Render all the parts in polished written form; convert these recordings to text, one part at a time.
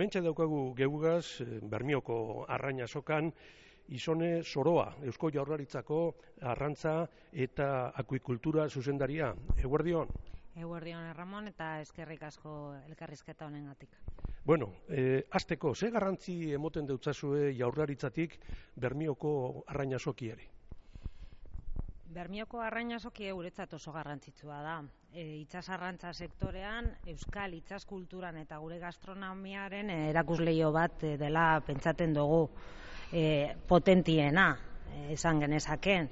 Hementxe daukagu geugaz, Bermioko arrain azokan, Izone Soroa, Eusko Jaurlaritzako arrantza eta akuikultura zuzendaria. Eguerdion? Eguerdion, Ramon, eta eskerrik asko elkarrizketa honengatik. Bueno, hasteko, ze garrantzi emoten deutzazue Jaurlaritzatik Bermioko arrain azokiari? Bermioko arrain azokia guretzat oso garrantzitsua da. Itsasarrantza sektorean, euskal itsas kulturan eta gure gastronomiaren erakusleio bat dela pentsatzen dugu potentiena, esan genezaken.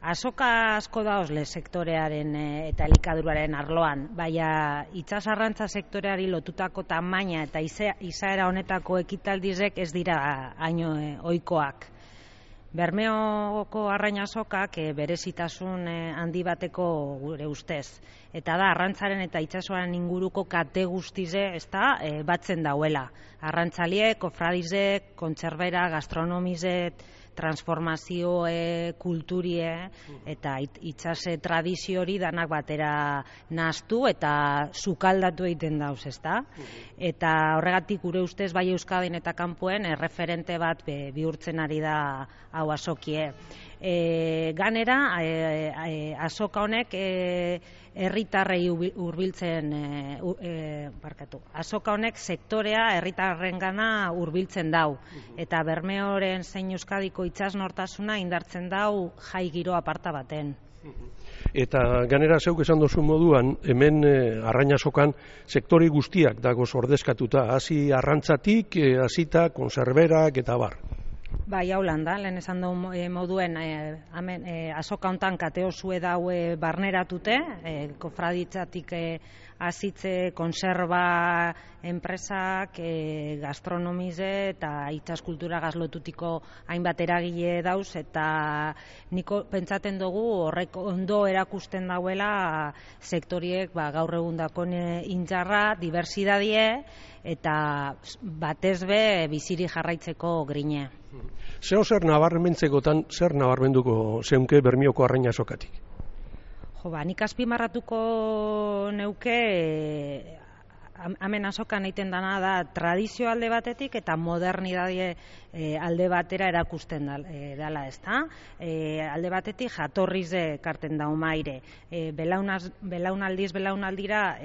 Azoka asko dauzle sektorearen eta elikaduraren arloan, baina itsasarrantza sektoreari lotutako tamaina eta izaera honetako ekitaldizek ez dira haino ohikoak. Bermeoko arrain azokak berezitasun handi bateko gure ustez. Eta da, arrantzaren eta itsasoaren inguruko kate guztize batzen dauela. Arrantzaliek, kofradizek, kontserbera, gastronomizek, transformazio kulturie eta itsase tradizio hori danak batera nahaztu eta sukaldatu egiten dauz, ezta? Eta horregatik gure ustez bai Euskadin eta kanpoen erreferente bat bihurtzen ari da hau azokie. Ganera, azoka honek herritarrei hurbiltzen azoka honek sektorea herritarrengana hurbiltzen dau eta Bermeoren zein Euskadiko itsas nortasuna indartzen dau jai giro aparta baten. Eta ganera zeuk esan dozu moduan, hemen arrain azokan sektore guztiak dagoz ordezkatuta, hasi arrantzatik, hasita konserberak eta bar. Bai, hau lan da, lehen esan dugu moduen azoka hontan kate osue daue barneratute, kofraditzatik hasitze konserba enpresak, gastronomize eta itsas kultura gazlotutiko hainbat eragile dauz, eta niko pentsaten dugu horrek ondo erakusten dauela sektoriek gaur egundakon intzarra, diversidadie eta batez be biziri jarraitzeko grine. Zer nabarmentzekotan, zer nabarmenduko zeunke Bermioko arrain azokatik? Nik azpimarratuko neuke hemen azokan egiten dana da tradizio alde batetik eta modernidade alde batera erakusten dela, ezta? Alde batetik jatorrize karten dau maire. Belaunaldiz belaunaldira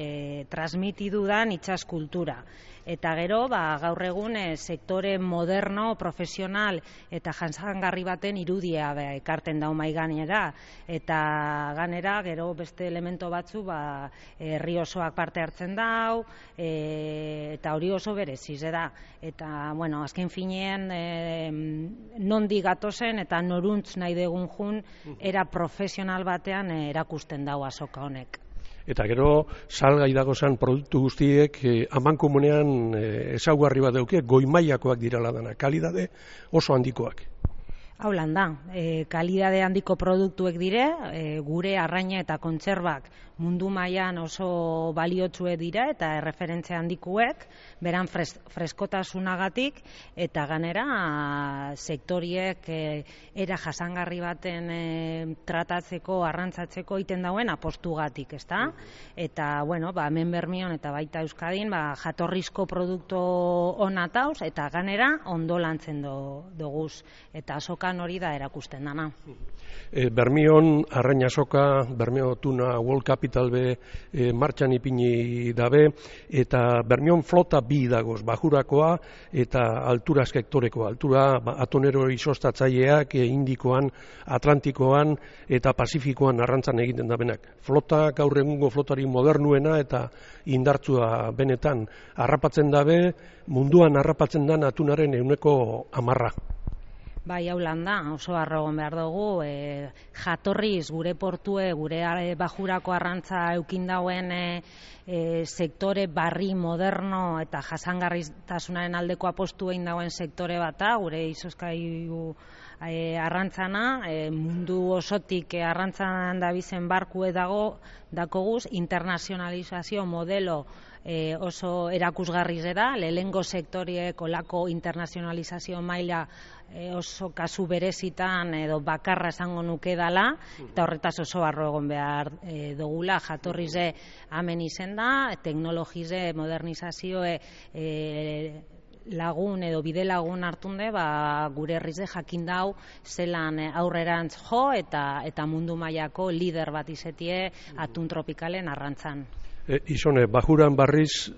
transmitidu dan itsas kultura. Eta gero, gaur egun sektore moderno, profesional eta jasangarri baten irudia ekarten dau mai gainera. Eta ganera, gero beste elemento batzu, herri osoak parte hartzen dau, eta hori oso bereziz da. Eta, bueno, azken finean, nondi gatozen eta noruntz nahi degun jun, era profesional batean erakusten dau azoka honek. Eta gero, salgai dagozan produktu guztiek amankomunean ezaugarri bat dauke, goi-mailakoak dirala dana, kalidade oso handikoak. Hau lan da, kalidade handiko produktuek dire, gure arraina eta kontserbak mundu mailan oso baliotsue dira eta erreferentzia handikuek, beran freskotasunagatik eta ganera sektoriek era jasangarri baten tratatzeko, arrantzatzeko egiten dauen apostugatik, ezta? Eta, bueno, hemen Bermion eta baita Euskadin, jatorrizko produktu ona tauz eta ganera ondo lantzen doguz. Eta azokan hori da erakusten dana. Bermion arrain azoka, Bermeo Tuna World Capital be martxan ipini dabe, eta Bermion flota bi dagoz, bajurakoa eta altura sektorekoa. Altura atonero izostatzaileak Indikoan, Atlantikoan eta Pasifikoan arrantzan egiten dabenak. Flota gaur egungo flotari modernuena eta indartsua benetan harrapatzen dabe, munduan harrapatzen dan atunaren 110%. Bai, hau lan da, oso harrogon behar dugu, jatorriz gure portue, gure bajurako arrantza eukin dauen sektore barri moderno eta jasangarritasunaren aldeko apostu egin dauen sektore bata, gure izozkailu arrantzana, mundu osotik arrantzan dabizen barkue dakoguz, internazionalizazio modelo oso erakusgarri da, lehengo sektoriek olako internazionalizazio maila oso kasu berezitan edo bakarra esango nuke dala, eta horretaz oso barro egon behar dugula, jatorrize hemen izen da, teknologize, modernizazioe lagun edo bide lagun hartunde, gure herrize jakin dau zelan aurrerantz jo eta mundu mailako lider bat izetie atun tropikalen arrantzan. Izone, bajuran barriz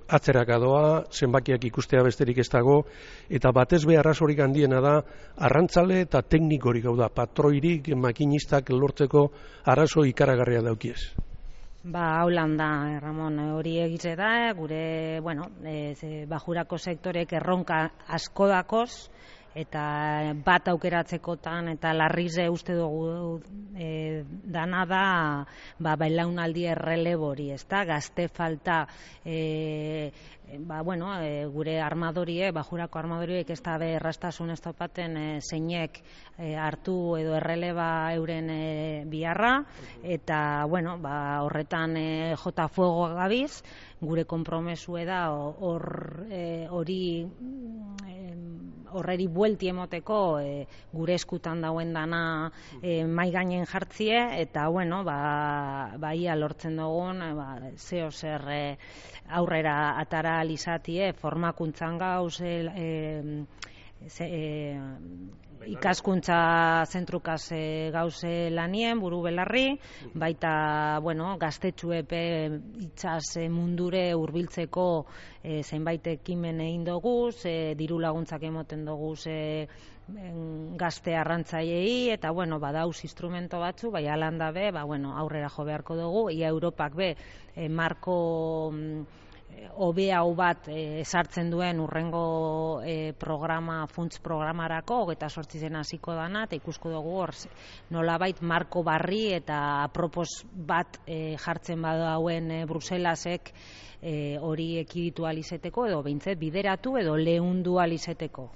atzeraka doa, zenbakiak ikustea besterik ez dago, eta batez be arrazorik handiena da, arrantzale eta teknikorik, hau da, patroirik, makinistak lortzeko arazo ikaragarria daukiez. Haulan da, Ramon, hori egize da, gure, bajurako sektorek erronka asko dakoz, eta bat aukeratzekotan eta larrize uste dugu dana da belaunaldi errelebori, ezta? Gazte falta gure armadorie, bajurako armadoriek ez da errastasun ez topaten zeinek hartu edo erreleba euren biharra, eta horretan jota fuego gabiz, gure konpromesue da horreri buelti emoteko gure eskutan dauen dana mai gainen jartzie, eta ia lortzen dugun zeo zer aurrera atara alizatie formakuntzan gauz ikaskuntza zentrukaz gauze lanien, buru belarri, baita gaztetxuepe itsas mundure hurbiltzeko zenbait ekimen egin dugu, diru laguntzak emoten dugu gazte arrantzaileei, eta badauz instrumento batzu, bai alan dabe, aurrera jo beharko dugu, ia Europak be marko hobea hau bat esartzen duen urrengo funts programarako, 28 hasiko dana, eta ikusko dugu hor nolabait marko barri eta apropos bat jartzen badauen Bruselasek hori ekiditu alizeteko, edo behintzet bideratu edo lehundu alizeteko.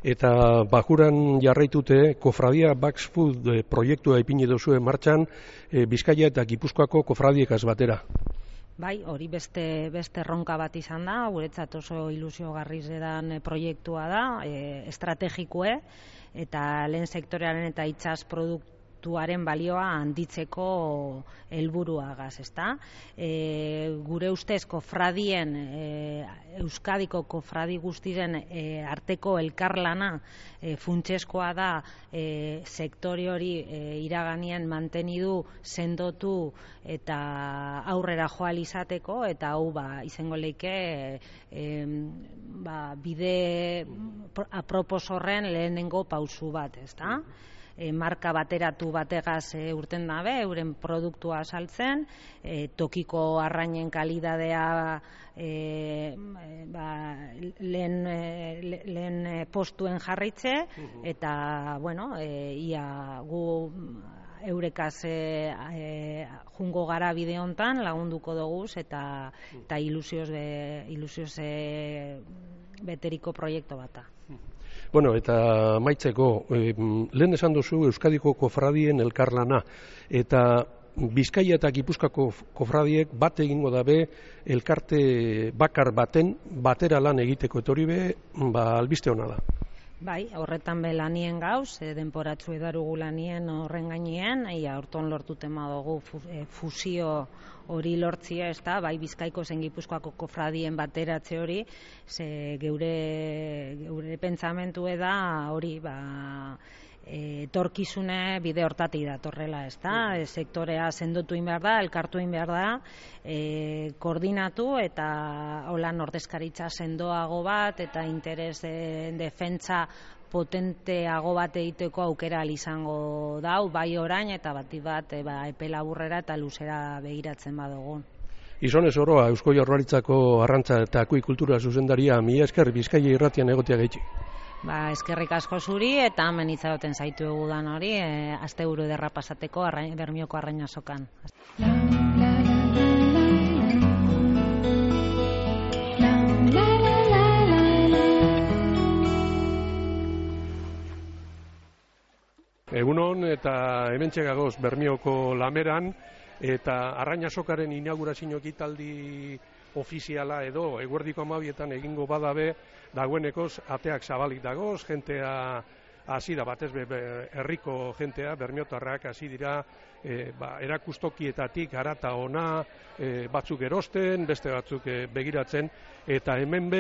Eta bajuran jarraitute, Kofradia Bax Food proiektua ipini duzue martxan, Bizkaia eta Gipuzkoako kofradiekaz batera. Bai, hori beste erronka bat izan da, guretzat oso ilusiogarriz edan proiektua da, estrategikoe, eta lehen sektorearen eta itsas produktuaren balioa handitzeko helburuagaz, ezta? Gure ustez kofradien, Euskadiko kofradi guztiren arteko elkarlana funtseskoa da sektore hori iraganien mantenidu, sendotu eta aurrera joal izateko, eta hau izango leike bide apropos horren lehenengo pausu bat, ezta? Marka bateratu bategaz urten dabe, euren produktua saltzen, tokiko arrainen kalidadea lehen postuen jarritze, eta ia gu eurekaz jungo gara bide hontan lagunduko dugu, eta ilusioz beteriko proiektu bata. Eta maitzeko, lehen esan duzu Euskadiko kofradien elkarlana, eta Bizkaia eta Gipuzkoako kofradiek bat egingo dabe elkarte bakar baten batera lan egiteko, eta hori albiste hona da. Bai, horretan be lanien gauz, denporatzu edarugu lanien horren gainean, horton lortuten badugu fusio hori lortzia, ez da, bai Bizkaiko zen Gipuzkoako kofradien bateratze hori, ze geure pentsamentu da hori, etorkizune bide hortatik datorrela, ez da, sektorea sendotu egin behar da, elkartu egin behar da, koordinatu eta holan ordezkaritza sendoago bat eta interes defentsa potenteago bat egiteko aukera izango dau, bai orain eta bat epe laburrera eta luzera begiratzen badugu. Izonez oroa, Eusko Jaurlaritzako arrantza eta akuikultura zuzendaria, mila esker Bizkaia irratian egotea gaitxik. Eskerrik asko zuri, eta hemen itzagoten zaitu egudan hori, asteburu ederra pasateko Bermioko Arrainasokan. Egunon eta hementxe gagoz Bermioko Lameran, eta Arrainasokaren inaugurazio ekitaldi ofiziala edo eguerdiko 12etan egingo badabe, dagoenekoz ateak zabalik dagoz, jentea hasi da batez herriko jentea, bermiotarrak hasi dira erakustokietatik harata ona, batzuk erosten, beste batzuk begiratzen, eta hemen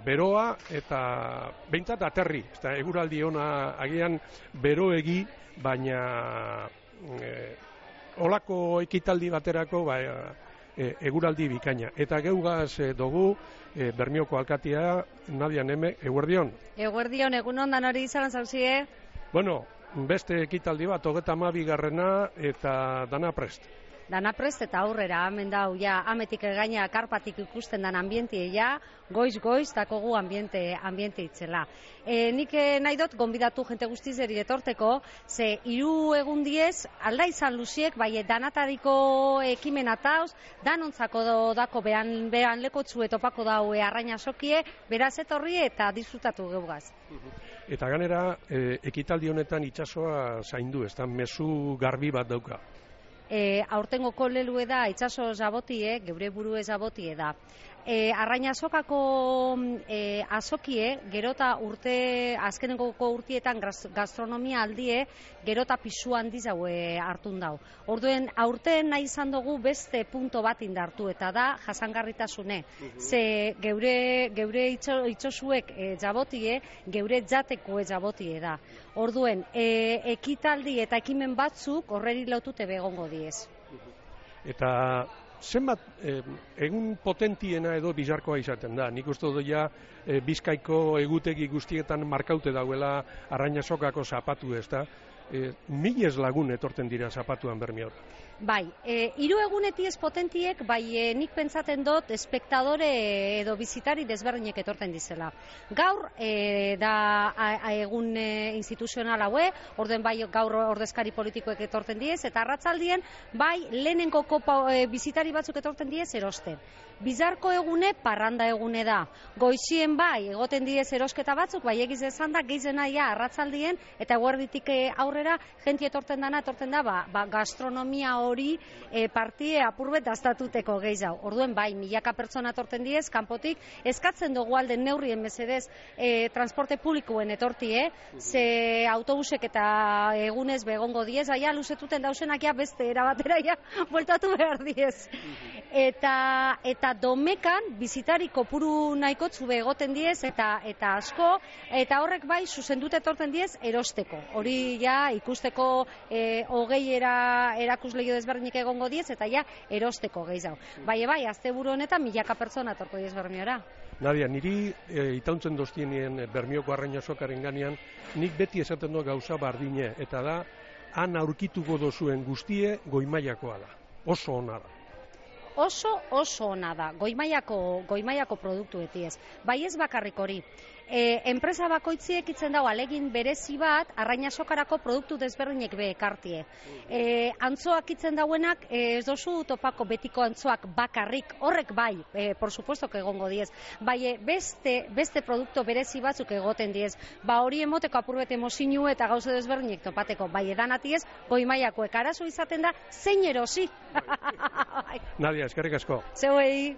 beroa eta behintzat aterri, eta eguraldi ona agian beroegi, baina olako ekitaldi baterako eguraldi bikaina. Eta geugaz dugu Bermioko alkatea Nadia Neme, eguerdion. Eguerdion, egunon danori izan zauzie? Bueno, beste ekitaldi bat, 32. eta dana prest. Dana prest eta aurrera, hemen dau, ja, ametik gaina karpatik ikusten dan ambientie, ja, goiz, dakogu ambiente itzela. Nik nahi dut, gonbidatu jente guztizeri etorteko, ze 3 egun diez, alda izan luziek, bai, danatariko ekimen atauz, danontzako dako behan lekotzu etopako daue arraina sokie, beraz etorri eta disfrutatu geugaz. Eta ganera, ekitaldi honetan itsasoa zaindu, ez da, mezu garbi bat dauka. Aurtengo kolelue da itsaso zabotie, geure burue zabotie da. Arraina sokako azokie, gerota azkenengoko urtietan gastronomia aldie, gerota pisu handiz haue hartun dau. Orduen, aurten nahi izan dugu beste punto bat indartu, eta da jasangarritasune. Ze geure itxosuek zabotie, geure jateko zabotie da. Orduen, ekitaldi eta ekimen batzuk horreri lotute begongo diez. Eta zenbat egun potentiena edo bizarkoa izaten da. Nik uste dut ja Bizkaiko egutegi guztietan markaute dauela arraina sokako zapatu, ez da? 1000 lagun etorten dira zapatuan Bermiora. Bai, 3 egunetiez potentiek, bai nik pentsaten dut espektadore edo bizitari desberdinek etorten dizela. Gaur da egun instituzional haue, orduen bai gaur ordezkari politikoek etorten diez, eta arratzaldien bai lehenengo kopa bizitari batzuk etorten diez erosten. Bizarko egune parranda egune da. Goizien bai egoten diez erosketa batzuk, bai egiz esan da gehizena arratzaldien eta eguerditik aurrera jenti etorten da gastronomia hori partie apurbet daztatuteko gehiago. Orduen bai, milaka pertsona etorten diez, kanpotik, eskatzen dugu alden neurrien mesedez transporte publikoen etortie, ze autobusek eta egunez begongo diez, aia luzetuten dausenak ja beste erabatera ja bueltatu behar diez. Eta domekan bizitari kopuru nahikotzu egoten diez eta asko, eta horrek bai zuzendute etorten diez erosteko. Hori ja ikusteko erakusleio desberdinik egongo diez eta ja erosteko gehiago. Bai, asteburu honetan milaka pertsona etorko diez Bermiora. Nadia, niri itauntzen doztienien Bermioko arraina sokaren ganean, nik beti esaten du gauza bardine, eta da, han aurkituko dozuen guztie goimaiakoa da. Oso ona da. Oso ona da, goimaiako produktu etiez. Bai ez bakarrik hori. Enpresa bakoitziek itzen dago alegin berezi bat arraina sokarako produktu desberdinek ekartie. Antzoak itzen dauenak ez dozu topako betiko antzoak bakarrik, horrek bai, por supuesto que egongo diez. Bai, beste produktu berezi batzuk egoten diez. Hori emoteko apurbet emozinu eta gauze desberdinek topateko. Bai, edanatiez, goimaiakoek arazo izaten da, zein erosi. Nadia, eskerrik asko. Zeuei.